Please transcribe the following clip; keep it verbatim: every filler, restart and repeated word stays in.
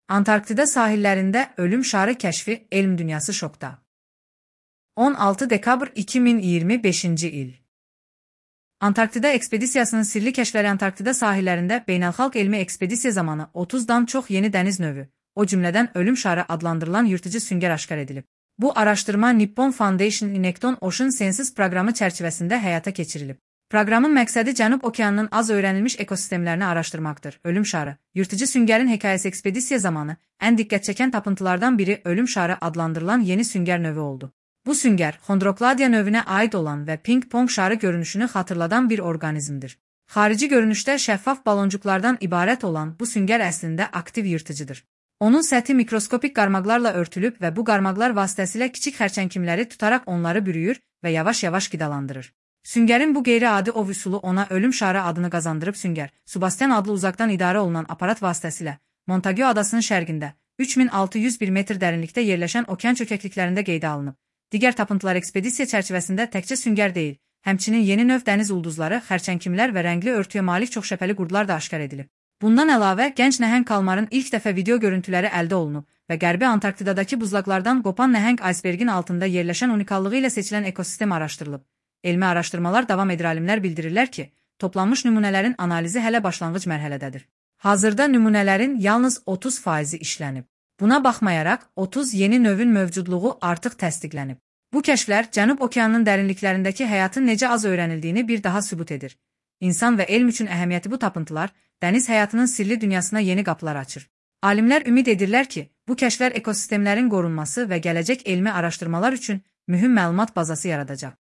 Antarktida sahillərində ölüm şarı kəşfi, elm dünyası şokda. on altı dekabr iki min iyirmi beşinci il. Antarktida ekspedisiyasının sirli kəşfləri Antarktida sahillərində beynəlxalq elmi ekspedisiya zamanı otuzdan çox yeni dəniz növü, o cümlədən ölüm şarı adlandırılan yırtıcı süngər aşkar edilib. Bu araşdırma Nippon Foundation Inekton Ocean Sciences proqramı çərçivəsində həyata keçirilib. Proqramın məqsədi Cənub okeanının az öyrənilmiş ekosistemlərini araşdırmaqdır. Ölüm şarı, yırtıcı süngərin hekayəsi ekspedisiya zamanı ən diqqət çəkən tapıntılardan biri ölüm şarı adlandırılan yeni süngər növü oldu. Bu süngər, Chondrocladia növünə aid olan və ping-pong şarı görünüşünü xatırladan bir orqanizmdir. Xarici görünüşdə şəffaf baloncuklardan ibarət olan bu süngər əslində aktiv yırtıcıdır. Onun səthi mikroskopik qarmaqlarla örtülüb və bu qarmaqlar vasitəsilə kiçik xərçəngimləri tutaraq onları bürüyür və yavaş-yavaş qidalandırır. Süngərin bu qeyri-adi ov üsulu ona ölüm şarı adını qazandırıb. Süngər, Sebastian adlı uzaqdan idarə olunan aparat vasitəsilə Montague adasının şərqində üç min altı yüz bir metr dərinlikdə yerləşən okean çökəkliklərində qeydə alınıb. Digər tapıntılar ekspedisiya çərçivəsində təkcə süngər deyil, həmçinin yeni növ dəniz ulduzları, xərçəngimlər və rəngli örtüyə malik çoxşəpəli qurdlar da aşkar edilib. Bundan əlavə, gənc nəhəng kalmarın ilk dəfə video görüntüləri əldə olunub və Qərbi Antarktidadakı buzlaqlardan qopan nəhəng aysbergin altında yerləşən unikallığı ilə seçilən ekosistem araşdırılıb. Elmi araşdırmalar davam edir. Alimlər bildirirlər ki, toplanmış nümunələrin analizi hələ başlanğıc mərhələdədir. Hazırda nümunələrin yalnız otuz faizi işlənib. Buna baxmayaraq, otuz yeni növün mövcudluğu artıq təsdiqlənib. Bu kəşflər Cənub okeanının dərinliklərindəki həyatın necə az öyrənildiyini bir daha sübut edir. İnsan və elm üçün əhəmiyyəti bu tapıntılar, dəniz həyatının sirli dünyasına yeni qapılar açır. Alimlər ümid edirlər ki, bu kəşflər ekosistemlərin qorunması və gələcək elmi araşdırmalar üçün mühüm məlumat bazası yaradacaq.